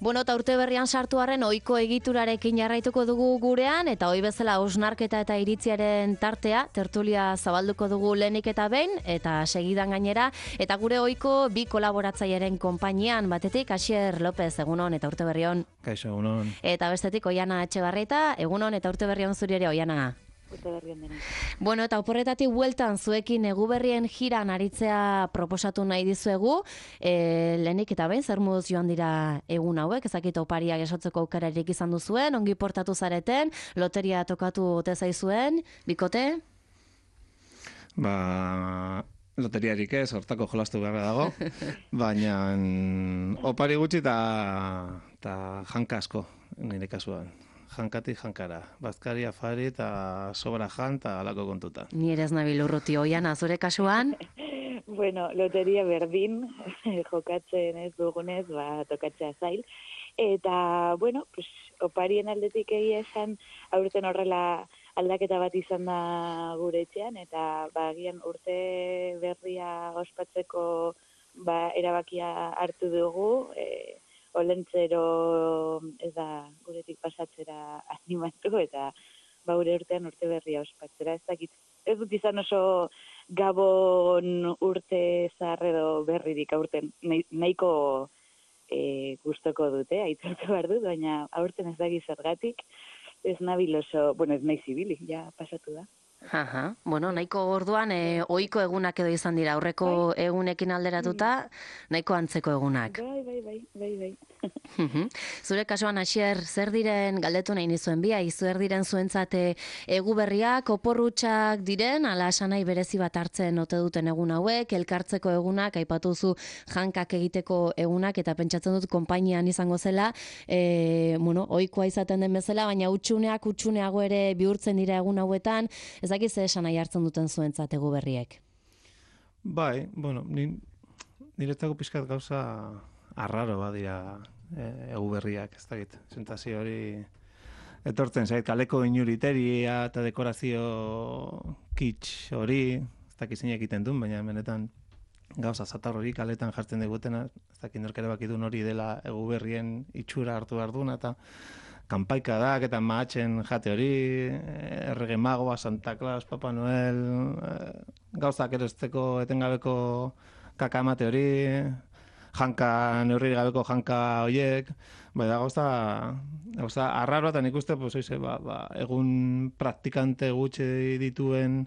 Bueno, eta urte berrian sartu arren ohiko egiturarekin jarraituko dugu gurean, eta ohi bezala hausnarketa eta iritziaren tartea, tertulia zabalduko dugu lehenik eta behin, eta segidan gainera, eta gure ohiko bi kolaboratzailearen konpainian, batetik Asier López, egunon eta urte berrion. Kaixo, egunon. Eta bestetik Oiana Etxebarrieta, egunon eta urte berrion zuri ere, Oiana. Bueno, eta oporretatik bueltan zuekin Eguberrien jiran aritzea proposatu nahi dizuegu. Lehenik eta behin, zer moduz joan dira egun hauek, ezakit opariak esotzeko aukerarik izan duzuen, ongi portatu zareten, loteria tokatu ote zaizuen, bikote? Loteriarik ez, hortako jolastu beharra dago, baina opari gutxi eta janka asko, nire kasuan. Jankatik jankara. Bazkari, afari eta sobra jan eta alako kontuta. Ni ere ez nabil urruti, Oiana, zure kasuan? Bueno, loteria berdin, jokatzen ez dugunez, tokatzea zail. Eta, bueno, pues, oparien aldetik egia esan, aurten horrela aldaketa bat izan da gure etxean, eta agian urte berria ospatzeko erabakia hartu dugu, olentzero ez da guretik pasatzera animatu eta gure urtean urte berria ospatzera. Ez dut izan oso gabon urte zahar edo berririk aurten nahiko gustoko dute, aitortu behar dut, baina aurten ez daki zergatik, ez nabil oso, bueno, ez nahi zibilik, ja pasatu da. Aha, bueno, nahiko orduan ohiko egunak edo izan dira, aurreko egunekin alderatuta, nahiko antzeko egunak. Bai. Zure kasuan, Asier, zer diren, galdetu nahi nizuen biai, zer diren zuentzate Eguberriak, oporrutxak diren, ala esanai berezi bat hartzen ote duten egun hauek, elkartzeko egunak, aipatuzu jankak egiteko egunak, eta pentsatzen dut konpainian izango zela, ohikoa izaten den bezala, baina utxuneago ere bihurtzen dira egun hauetan, ezakiz esan nahi hartzen duten zuentzat Eguberriek? Bai, bueno, niretzako pixkat gauza arraro badira Eguberriak, ez dakit. Sentazio hori etortzen zait, kaleko inuriteria eta dekorazio kitsch hori, ez dakit zein egiten duen, baina benetan gauza zatar hori kaletan jartzen digutena, ez dakit norkere bakidun hori dela Eguberrien itxura hartu behar duna, eta kanpaikadak eta mahatzen jate hori, Errege Magoa, Santa Claus, Papa Noel, gauzak erosteko etengabeko kakamate hori, janka, neurri gabeko janka horiek, da gauza arraroa, eta nik uste, egun praktikante gutxi dituen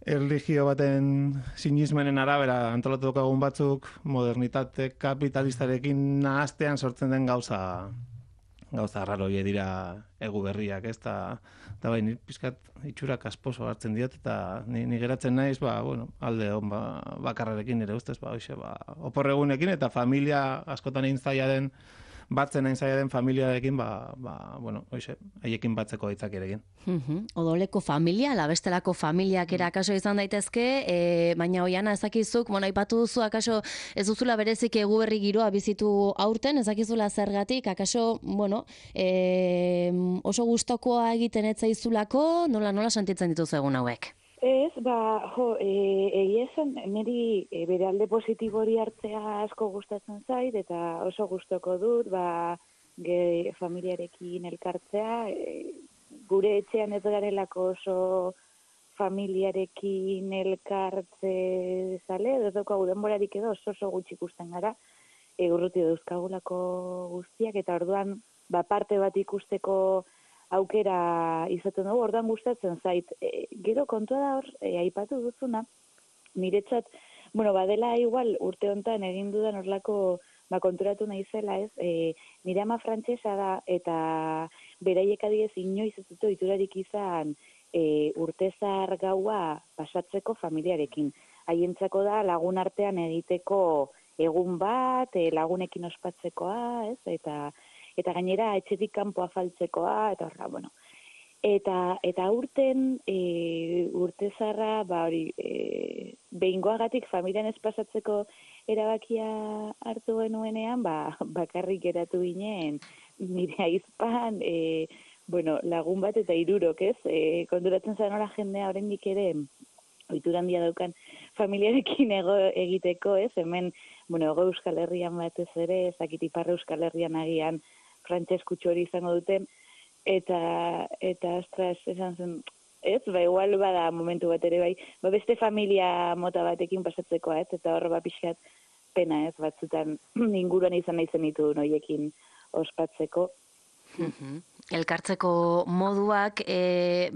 erlijio baten sinismenen arabera antolatuko egun batzuk, modernitate kapitalistarekin nahastean sortzen den gauza arraro horiek dira Eguberriak, ez? Eta bai, ni pizkat itxurak asposo hartzen diot, eta ni geratzen naiz, alde on bakarrarekin ere ustez, oporregunekin, eta familia askotan egin zaila den, batzen egin zaila den familiarekin, haiekin batzeko aitzakiarekin. Odoleko familia, labestelako familiak ere akaso izan daitezke, baina Oiana ezakizuk, aipatu duzu akaso ez duzula berezik Eguberri giroa bizitu aurten, ezakizula zergatik, akaso, oso gustokoa egiten ez zaizulako, nola sentitzen dituzu egun hauek? Ez, egia esan, niri bere alde positibo hori hartzea asko gustatzen zait, eta oso gustoko dut, familiarekin elkartzea, gure etxean ez garelako oso familiarekin elkartze zale, ez daukagu denborarik edo oso gutxi ikusten gara, urruti dauzkagulako guztiak, eta orduan parte bat ikusteko aukera izaten dugu, orduan gustatzen zait. Gero kontua da hor, aipatu duzuna, niretzat, badela igual urte hontan egin dudan horlako konturatu naizela, ez? Nire ama frantsesa da, eta beraiek adibidez inoiz ez dute ohiturarik izan urtezar gaua pasatzeko familiarekin. Haientzako da lagun artean egiteko egun bat, lagunekin ospatzekoa, ez? Eta gainera etxetik kanpo afaltzekoa, eta horra, Eta urten urtezarra, behingoagatik familian ez pasatzeko erabakia hartu genuenean, bakarrik geratu ginen, nire aizpan, lagun bat eta 3, ez? Konturatzen zaren nola jendea oraindik ere ohitura handia daukan familiarekin egiteko, ez? Hemen bueno, Hego Euskal Herrian batez ere, ezakit Ipar Euskal Herrian agian frantses kutsu hori izango duten, eta astras esan zen, ez, igual bada momentu bat ere bai, beste familia mota batekin pasatzeko, eta hor pixkat pena, batzutan inguruan izan nahi zenitu noiekin ospatzeko. Elkartzeko moduak,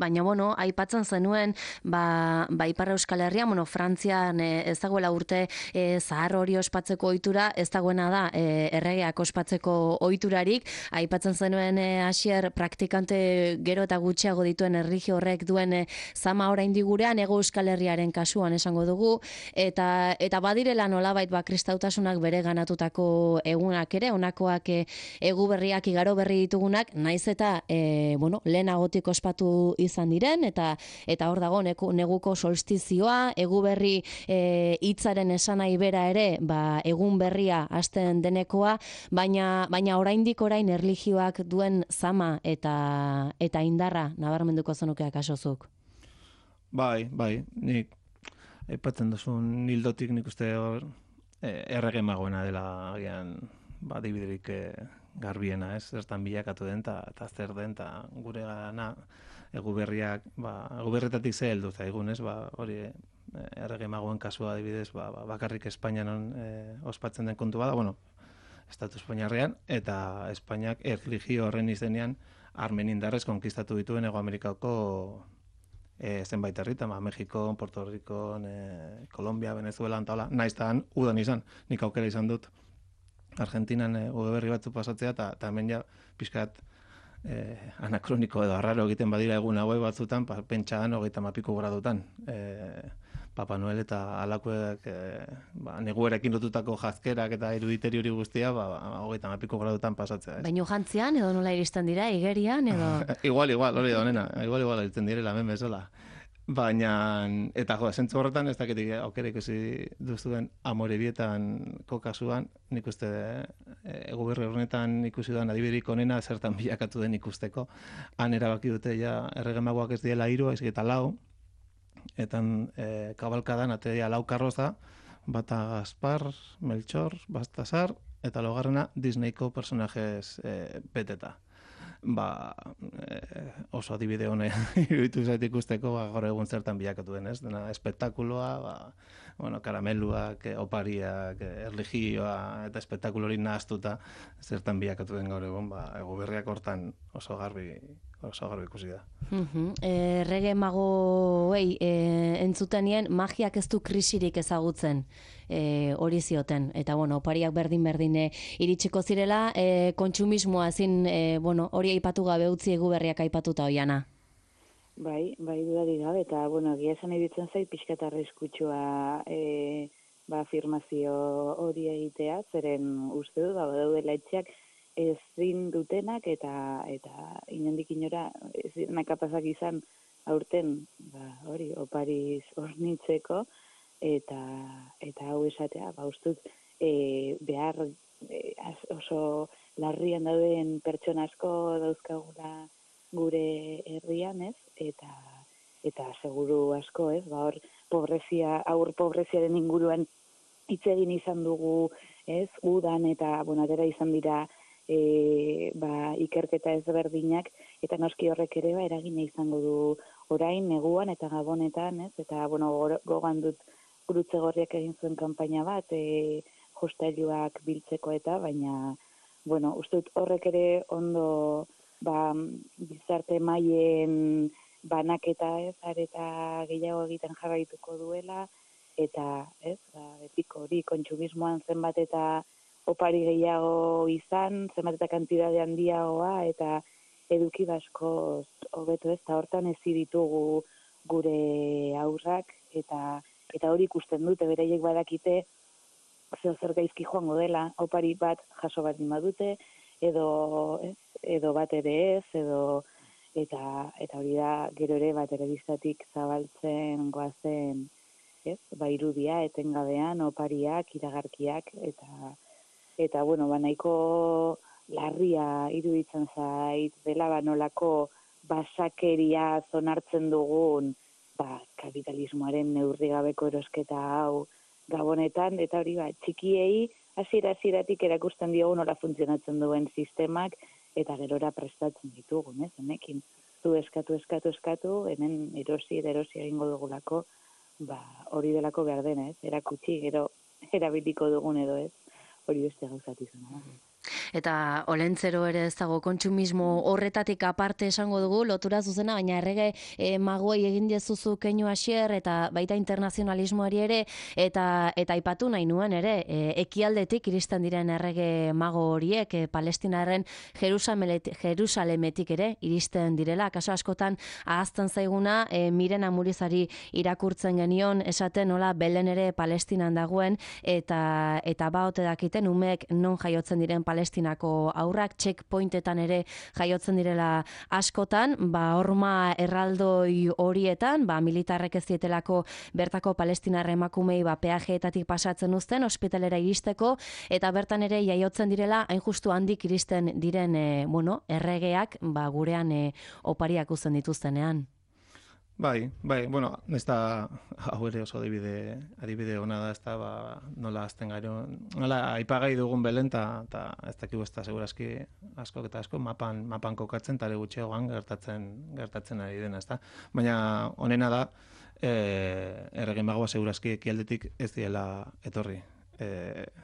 baina, aipatzen zenuen, Ipar Euskal Herria, Frantzian ez dagoela urte zahar hori ospatzeko ohitura, ez dagoena da erregeak ospatzeko ohiturarik, aipatzen zenuen Asier praktikante gero eta gutxiago dituen erlijio horrek duen zama oraindik gurean, Hego Euskal Herriaren kasuan esango dugu, eta badirela nolabait kristautasunak bere ganatutako egunak ere, honakoak eguberriak, igaro berri ditugunak, naiz eta lehenagotik ospatu izan diren, eta hor dago neguko solstizioa, eguberri hitzaren esanai bera ere, egun berria hasten denekoa, baina oraindik orain erlijioak duen zama eta indarra nabarmenduko zenukeak asozuk. Bai, nik aipatzen duzun hildotik nik uste hor errege magoena dela agian dibiderik garbiena, ez, zertan bilakatu den, eta zer den, eta gure gana eguberriak, eguberretatik ze heldu zaigun, ez, hori errege magoen kasua adibidez, bakarrik Espainian ospatzen den kontu bada, Estatu Espainiarrean, eta Espainiak erlijio horren izenean armen indarrez konkistatu dituen Hego Amerikako zenbait herritan, Mexiko, Puerto Rico, Kolombia, Venezuela, eta hola, naiztan udan izan, nik aukera izan dut Argentinan udaberri batzu pasatzea, eta hemen ja pixkat anakroniko edo arraro egiten badira egun hauek batzutan, pentsaan 30 gradutan. Papa Noel eta alakoek neguerekin lotutako jazkerak eta eruditeri hori guztia 30 gradutan pasatzea. Baina jantzian edo nola iristen dira, igerian edo? Igual, hori da honena, igual iristen direla hemen bezala. Baina, eta zentzu horretan, ez dakit aukera ikusi duzuen Amorebietan kokasuan, nik uste eguberri horretan ikusi duan adibiderik onena zertan bilakatu den ikusteko. Han erabaki dute ja erregemagoak ez diela 3, ez eta 4, eta kabalkadan atea 4 karroza, bata Gaspar, Melchor, Baltasar, eta laugarrena Disneyko personajes beteta. Oso adibide hone iruditu zait ikusteko gaur egun zertan bilakatu den, ez? Dena espektakuloa, karameluak, opariak, erlijioa eta espektakulo hori nahaztuta zertan bilakatu den gaur egun, eguberriak hortan oso garbi ikusi da. Errege magoei entzutenien magiak ez du krisirik ezagutzen hori zioten, eta opariak berdin iritsiko zirela, kontsumismoa ezin hori aipatu gabe utzi eguberriak aipatuta oiana. Bai, dudarik gabe, eta egia esan iruditzen zait pixka eta arriskutsua afirmazio hori egitea, zeren uste du, badaudela etxeak ezin dutenak eta inondik inora ezin kapazak izan aurten hori opariz hornitzeko eta hau esatea, ustut behar oso larrian dauden pertsona asko dauzkagula gure herrian, ez? Eta seguru asko, ez? Hor aur pobreziaren inguruan hitz egin izan dugu, ez? Udan eta atera izan dira ikerketa ezberdinak, eta noski horrek ere eragina izango du orain, neguan eta gabonetan, ez? Eta gogan dut Gurutze Gorriak egin zuen kanpaina bat, jostailuak biltzeko eta, baina, uste dut horrek ere ondo bizarte mailen banaketa ez, areta gehiago egiten jarraituko duela, eta ez, betiko hori kontsumismoan zenbat eta opari gehiago izan, zenbat eta kantidade handiagoa, eta eduki basko hobeto ez, eta hortan ezi ditugu gure aurrak, eta hori ikusten dute, beraiek badakite zer gaizki joango dela, opari bat jaso bat badute, edo bat ere ez, eta hori da gero ere telebistatik zabaltzen goazen, ez, irudia etengabean, opariak, iragarkiak, eta nahiko larria iruditzen zait dela nolako basakeria zonartzen dugun kapitalismoaren neurrigabeko erosketa hau gabonetan, eta hori txikiei hasieratik erakusten diogu nola funtzionatzen duen sistemak, eta gerora prestatzen ditugu, honekin. Zu eskatu, hemen erosi egingo dugulako, hori delako behar dena, erakutsi, gero erabiliko dugun edo ez, hori beste gauzatizuna. Eta olentzero ere ez dago kontsumismo horretatik aparte esango dugu, lotura zuzena, baina errege magoei egin diezuzu keinu hasier, eta baita internazionalismoari ere, eta aipatu nahi nuen ere, ekialdetik iristen diren errege mago horiek, Palestinaren Jerusalemetik ere iristen direla, kaso askotan ahazten zaiguna, Miren Amurizari irakurtzen genion, esaten nola Belen ere Palestinan dagoen, eta baote dakiten umeek non jaiotzen diren Palestinako aurrak, checkpointetan ere jaiotzen direla askotan, horma erraldoi horietan, militarrek ez dietelako bertako palestinar emakumei peajeetatik pasatzen uzten, ospitalera iristeko, eta bertan ere jaiotzen direla, hain justu handik iristen diren, erregeak, gurean opariak uzten dituztenean. Bai, bueno, ez da, hau ere oso adibide hona da, ez da, nola azten gero, nola aipagai dugun Belen, eta ez dakigu ez da, segurazki asko mapan kokatzen, eta gutxiagoan gertatzen ari dena, ez da. Baina, honena da, errege magoa segurazki ekialdetik ez diela etorri.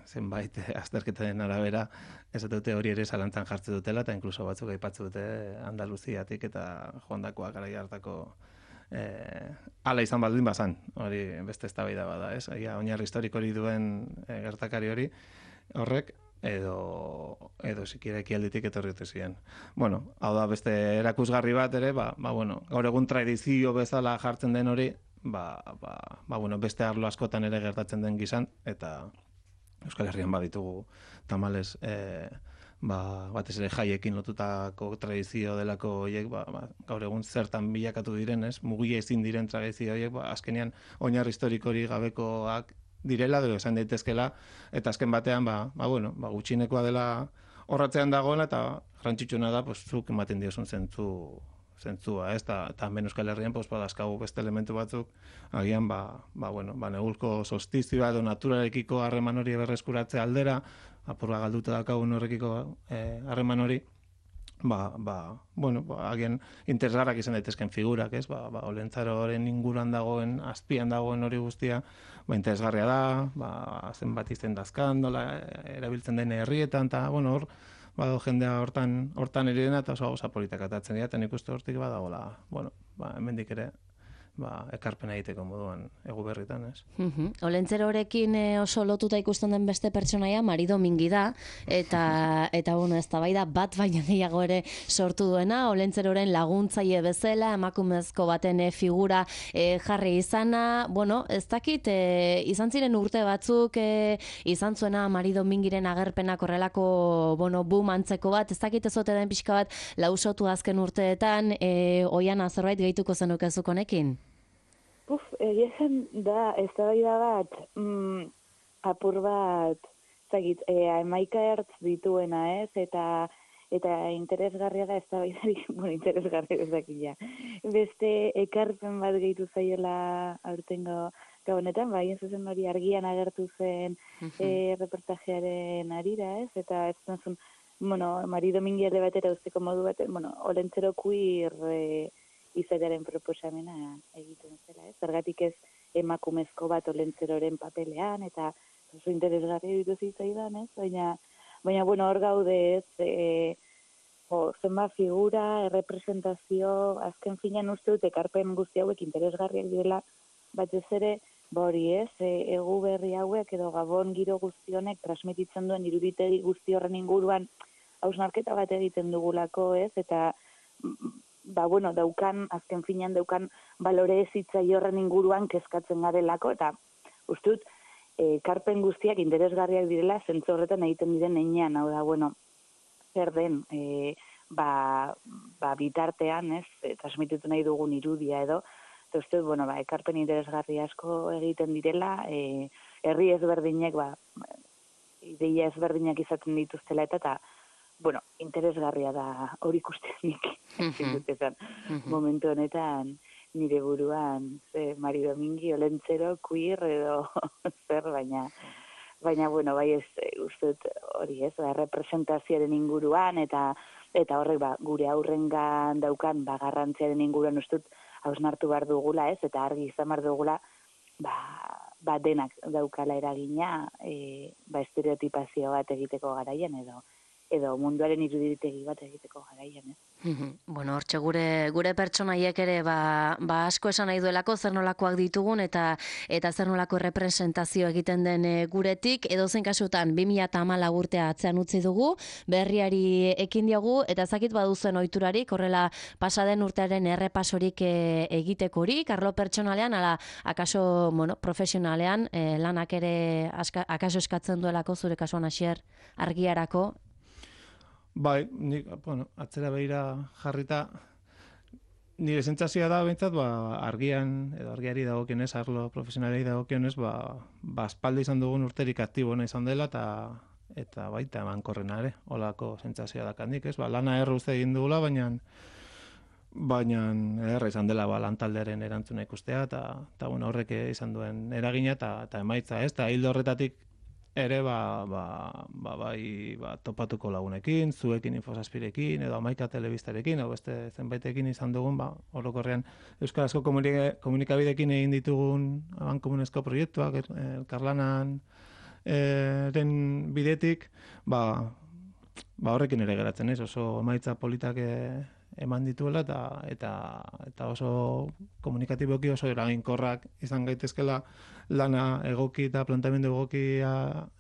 Zenbait azterketaren arabera, ez dute hori ere zalantzan jartzen dutela, eta inkluso batzuk aipatzen dute Andaluziatik eta joandakoa garai hartako ala izan baldin bazan, hori beste eztabaida bada, ez? Oinarri historiko hori duen gertakari hori horrek edo sikiera ekialdetik etorri ziren. Bueno, hau da beste erakusgarri bat ere, gaur egun tradizio bezala jartzen den hori, beste arlo askotan ere gertatzen den gizan, eta Euskal Herrian baditugu tamalez batez ere jaiekin lotutako tradizio delako horiek, gaur egun zertan bilakatu diren, mugia ezin diren tradizio horiek, azkenean oinarri historikori gabekoak direla, edo esan daitezkela, eta azken batean, gutxinekoa dela horratzean dagoela, eta garrantzitsuna da, zuk ematen diozun zentzua, eta hemen Euskal Herrian badazkagu beste elementu batzuk, agian, negulko solstizioa edo naturarekiko harreman hori berreskuratze aldera, apurra galduta daukagun horrekiko harreman hori, agian interesgarrak izan daitezken figurak, olentzaroren inguruan dagoen, azpian dagoen hori guztia, interesgarria da, zenbat izen dazkan, erabiltzen den herrietan, eta hor, bado jendea hortan ere dena, eta oso gauza politak atatzen dira, eta nik uste hortik badagoela, hemendik ere, ekarpena egiteko moduan egu berritan, ez? Olentzero horrekin oso lotuta ikusten den beste pertsonaia Mari Domingi da, eta eztabaida bat baina gehiago ere sortu duena, Olentzeroren laguntzaile bezala, emakumezko baten figura jarri izana, ez dakit, izan ziren urte batzuk, izan zuena Mari Domingiren agerpenak horrelako, boom antzeko bat, ez dakit ezote den pixka bat lausotu azken urteetan, oian zerbait gehituko zenukezuk honekin? Egia da, ez da bat, apur bat, zagit, amaika ertz dituena, ez, eta interesgarria da, ez da baidari, interesgarria ez dakila. Beste ekarpen bat gehitu zaiela aurtengo gabonetan, haien zuzen hori argian agertu zen reportajearen arira, ez, eta ez zen, Mari Domingi alde batera usteko modu bat, Olentzero queer izatearen proposamena egiten zela, ez? Zergatik ez emakumezko bat Olentzeroren papelean, eta oso interesgarria ditu zitzaidan, ez? Baina hor gaude, ez? Zenba figura, errepresentazio, azken finean uste dut ekarpen guzti hauek interesgarriak direla, batez ere, hori ez, egu berri hauek edo gabon giro guzti honek transmititzen duen iruditegi guzti horren inguruan hausnarketa bat egiten dugulako, ez? Eta azken finean daukan balore ezitzaile horren inguruan kezkatzen garelako, eta uste dut, karpen guztiak interesgarriak direla, zentzu horretan egiten diren heinean, hau da, zer den, bitartean, ez, transmititu nahi dugun irudia edo, eta uste dut, ekarpen interesgarri asko egiten direla, herri ezberdinek, ideia ezberdinak izaten dituztela eta interesgarria da hori ikustenik, momentu honetan nire buruan, Mari Domingi, Olentzero, queer edo zer, baina bueno, bai ez uste hori ez, representazioaren inguruan eta horrek gure aurrengan daukan garrantziaren inguruan uste hausnartu behar dugula ez, eta argi izan behar dugula denak daukala eragina estereotipazio bat egiteko garaian edo munduaren iruditegi bat egiteko garaian, ez? Bueno, hortxe gure pertsonaiek ere asko esan nahi duelako zer nolakoak ditugun eta zer nolako representazio egiten den guretik, edozein kasutan 2014 urtea atzean utzi dugu, berriari ekin diogu eta ezakit baduzuen ohiturarik, horrela pasaden urtearen errepasorik egitekorik, arlo pertsonalean, ala akaso profesionalean lanak ere akaso eskatzen duelako zure kasuan Asier argiarako. Bai, atzera behira jarrita, nire sentsazioa da behintzat, argian, edo argiari dagokionez, arlo profesionalei dagokionez, aspaldi izan dugun urterik aktiboena izan dela, eta baita emankorrena ere, holako sentsazioa dakandik, ez? Lana erro uste egin dugula, baina erra izan dela lantaldearen erantzuna ikustea, eta horrek izan duen eragina, eta emaitza, ez? Eta hildo horretatik, ere topatuko lagunekin, zuekin Infosazpirekin, edo Amaika Telebistarekin, edo beste zenbaitekin izan dugun, orokorrean euskarazko komunikabidekin egin ditugun abankomunezko proiektuak, elkarlanan den bidetik, horrekin ere geratzen ez, oso emaitza politak eman dituela eta oso komunikatiboki oso eraginkorrak izan gaitezkela lana egoki eta plantamendu egokia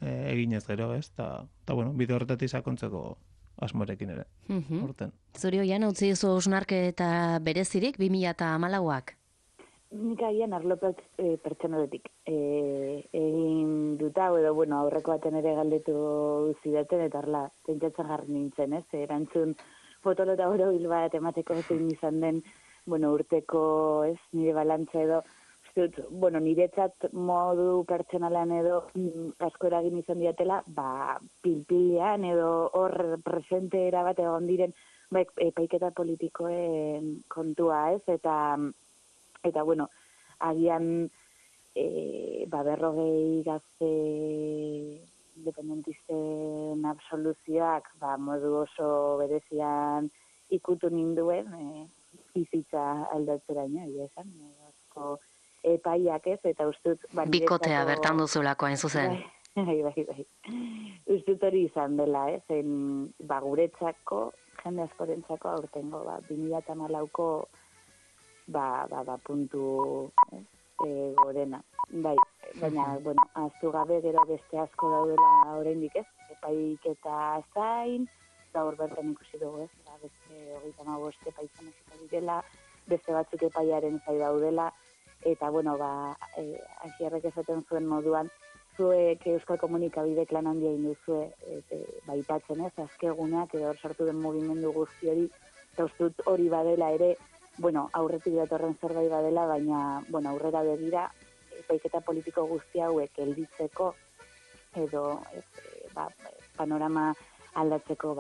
eginez gero, ez? Eta bide horretatik sakontzeko asmorekin ere. Horten. Zuri hoian utzi duzu hausnarketa berezirik 2014ak? Nik agian arlo pertsonaletik egin dut hau edo aurreko baten ere galdetu zidaten eta horla pentsatzen jarri nintzen, ez? Erantzun fotolota horobil bat emateko zein izan den, urteko, ez, nire balantza edo, niretzat modu pertsonalean edo asko eragin izan diatela, pilpilean edo hor presente erabat egon diren, epaiketa politikoen kontua, ez, eta agian, 40 gazte independentisten absoluzioak modu oso berezian ikutu ninduen bizitza aldatzeraino, esan, asko epaiak ez, eta ustut... Bikotea bertan duzulako hain zuzen. Bai. Ustut hori izan dela, ez, guretzako, jende askorentzako aurtengo, 2014ko puntu gorena. Bai, baina, ahaztu gabe gero beste asko daudela oraindik ez, epaiketa zain, gaur bertan ikusi dugu ez, beste 35 epaitzaneziko direla, beste batzuk epaiaren zai daudela, eta, Asierrek esaten zuen moduan, zuek Euskal Komunikabidek lan handia induzue, aipatzen ez, azkeguneak edo hor sartu den mugimendu guzti hori, eta ustut hori badela ere, aurretik datorren zerbait badela, baina, aurrera begira, epaiketa politiko guzti hauek helditzeko edo panorama aldatzeko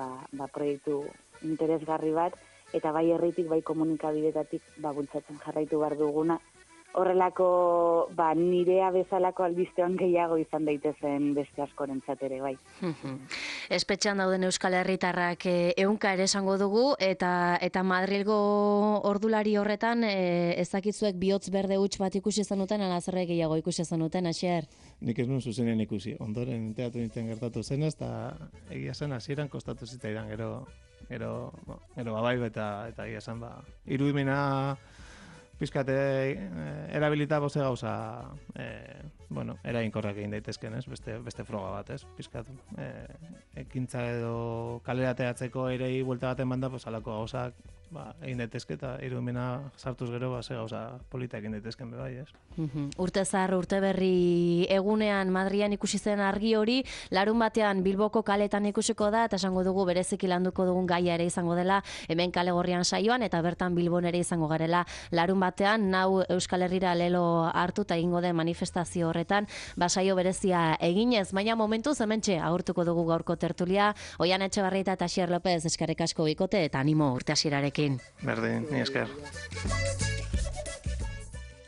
proiektu interesgarri bat, eta bai herritik, bai komunikabidetatik bultzatzen jarraitu behar duguna. Horrelako nirea bezalako albistean gehiago izan daitezen beste askorentzat ere, bai. Espetxean dauden Euskal Herritarrak ehunka ere esango dugu, eta Madrilgo ordulari horretan ezakitzuek bihotz berde huts bat ikusi zenuten, ala zerre gehiago ikusi zenuten, Asier? Nik ez nuen zuzenen ikusi, ondoren teatu nintzen gertatu zenez, eta egia zen hasieran kostatu zitzaidan gero babai eta egia zen irudimena pizkate erabilita boze gauza eraginkorrak egin daitezken, ez? Beste froga bat, ez? Pizkat ekintza edo kalerateatzeko erei buelta baten banda, alako gauzak egin daitezke eta irudimena sartuz gero ze gauza polita egin daitezken bebai, ez? Urte zahar, urte berri egunean Madrian ikusi zen argi hori, larun batean Bilboko kaletan ikusiko da, eta esango dugu bereziki landuko dugun gaia ere izango dela, hemen Kale Gorrian saioan, eta bertan Bilbon ere izango garela larun batean, nau Euskal Herrira lelo hartu eta egingo den manifestazio horretan, saio berezia eginez, baina momentuz hementxe agurtuko dugu gaurko tertulia, Oihan Etxebarrieta eta Asier López eskerrik asko bikote, eta animo urte hasierarekin. Berdin, ni esker.